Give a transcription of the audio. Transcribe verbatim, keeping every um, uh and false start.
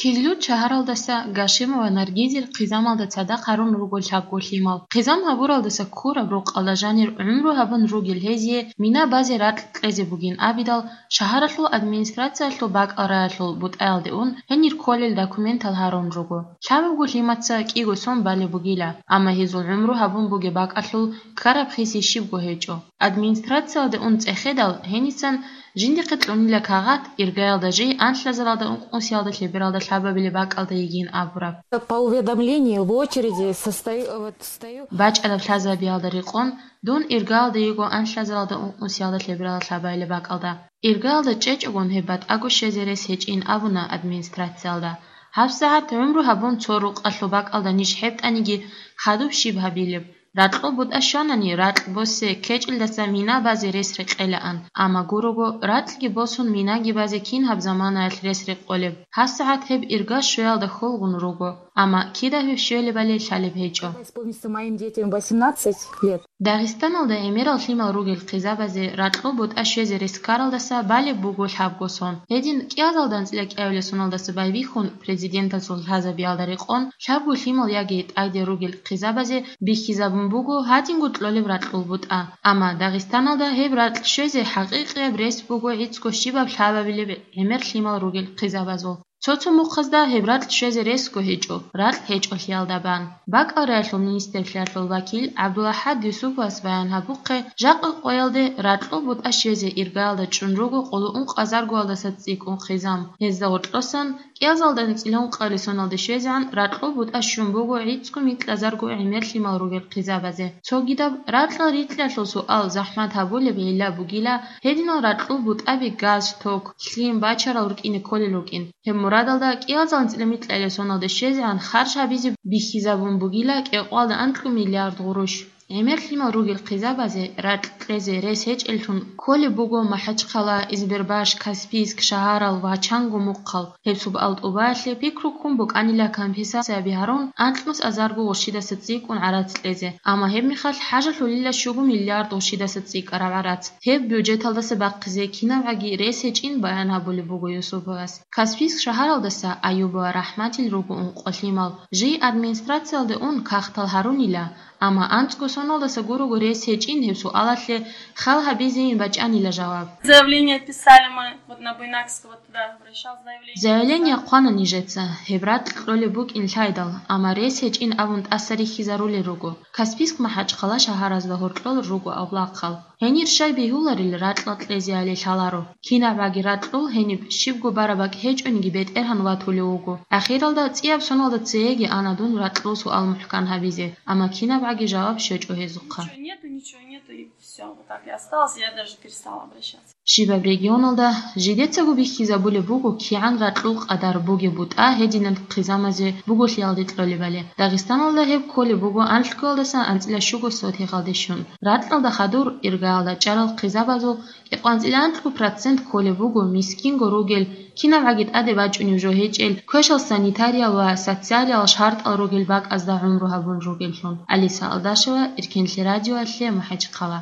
Кизлюрт шагьаралдаса Гашимова Наргизил хъизамалда цадахъ гьарун руго лъабго лъимал. Хъизам гьабуралдаса ккураб рукъалда жанир гӀумру гьабун ругел гьезие мина базе ракь кьезе бугин абидал, шагьаралъул администрациялъул бакӀал раялъул бутӀаялде ун гьенир кколел документал гьарун руго. Лъабабго лъимаца кӀиго сон балеб бугила, амма гьезул гӀумру гьабун бугеб бакӀалъул ккараб хиси щибго гьечӀо. Администрациялде ун цӀехедал, гьенисан жиндихъе кьунила кагъат, иргаялда жий анлъазаралда ункънусиялда лъебералда лъабабилеб бакӀалда йигин абураб. По уведомлению в очереди состою, вот, стою. БачӀараб лъазабиялда рекъон, дун иргаялда йиго анлъазаралда ункънусиялда лъебералда лъабабилеб бакӀалда. Иргаялда чӀечӀогун гьеб батӀаго щвезе рес гьечӀин абуна администрациялда. ГьабсагӀат гӀумру гьабун цо рукъалъул бакӀалда ниж хӀетӀаниги, хадуб щиб гьабилеб? Ракьул бутӀа щванани, ракь босе ккечӀелдаса мина базе рес рекъелаан, амма гурого, ракьги босун минаги базе кин гьаб заманаялъ рес рекъолеб? ГьабсагӀат гьеб ирга щвеялда хьулгъун руго, амма кида гьеб щвелебали лъалеб гьечӀо. Когда исполнится моим детям восемнадцать лет. Дагъистаналда гӀемерал лъимал ругел хъизабазе ракьул бутӀа щвезе рес ккаралдаса балеб буго лъабго сон. Гьедин, кӀиазалда анцӀила кӀиабилеб соналдаса байбихьун, президентасул лъазабиялда рекъон, лъабго лъимал яги тӀаде ругел хъизабазе бихьизабун буго гьадинго кьолеб ракьул бутӀа. Амма Дагъистаналда гьеб ракь щвезе хӀакъикъияб рес буго гӀицӀго щибаб лъабабилеб гӀемер лъимал ругел хъизабазул. Цо-цо мухъазда гьеб ракь щвезе ресго гьечӀо, ракь гьечӀолъиялда бан. БакӀал раялъул министрлъиялъул вакил ГӀабдулахӀад Юсуповас баян гьабухъе, жакъа къоялде ракьул бутӀа щвезе иргаялда чӀун руго къоло ункъазаргоялдаса цӀикӀкӀун хъизам. Гьезда гъоркьосан, кӀиазалда анцӀила ункъабилеб соналде щвезегӀан ракьул бутӀа щун буго гӀицӀго микьазарго гӀемер лъимал ругел хъизабазе. Цогидаб ракьал рикьалъул суал захӀмат гьабулеб гӀилла бугила, гьединал ракьул бутӀаби газ, ток, лъим бачарал рукӀине кколел рукӀин. Гьеб мурадалда кӀиазал анцӀила микьабилеб соналде щвезегӀан харж гьабизе бихьизабун бугила кӀикъоялда анкьго миллиард гъурущ. ГӀемер лъимал ругел хъизабазе ракь кьезе рес гьечӀеллъун кколеб буго МахӀачхъала, Избербаш, Каспийск шагьарал ва чанго мухъал. Гьеб суал тӀубаялъе пикру ккун букӀанила компенсацияби гьарун анкьнус азарго гъурщидаса цӀикӀкӀун гӀарац кьезе, амма гьеб мехалъ хӀажалъулила щуго миллиард гъурщидаса цӀикӀкӀараб гӀарац. Гьеб бюджеталдаса бахъизе кинабгӀаги рес гьечӀин баян гьабулеб буго Юсуповас. Каспийск шагьаралдаса Аюбова РахӀматил руго ункъо лъимал. Жий администрациялде ун кагътал гьарунила, амма анцӀго соналдаса гурого рес гьечӀин гьеб суалалъе хал гьабизейин бачӀанила жаваб. Заявление писали мы, вот на Буйнакского туда обращалась, заявление. Заявление хъвана нижеца, гьеб ракь кьолеб букӀин лъайдал, амма рес гьечӀин абун тӀаса рихьизарулел руго. Каспийск, МахӀачхъала шагьаразда гьоркьор руго авлахъал. Гьенир щай бегьуларел ракьал кьезеали лъаларо. КинабгӀаги ракьул гьениб щибго бараб бакӀ гьечӀониги БетӀергьан ватулев вуго. Ахиралда цӀияб соналда цееги ана дун ракьул суал мухӀкан гьабизе, амма кинабгӀаги жаваб щвечӀо гьезухъа. Ничего нету, ничего нету, и всё, вот так и осталось, я даже перестала обращаться. Щибаб регионалда жидецаго бихьизабулеб буго кигӀан ракьул къадар бугеб бутӀа гьединаб хъизамазе буголъиялде кьолебали. Дагъистаналда гьеб кколеб буго анлъгоялдаса анцӀила щуго сотигъалде щун. Ракьалда хадур иргаялда чӀарал хъизабазул кӀикъоялда анцӀила анлъго процент кколеб буго мискинго ругел, кинабгӀаги тӀаде бачӀунеб жо гьечӀел, квешал санитариял ва социалиял шартӀал ругел бакӀазда гӀумру гьабун ругеллъун. Алиса Алдашева, Эркенлъи радиоялъе, МахӀачхъала.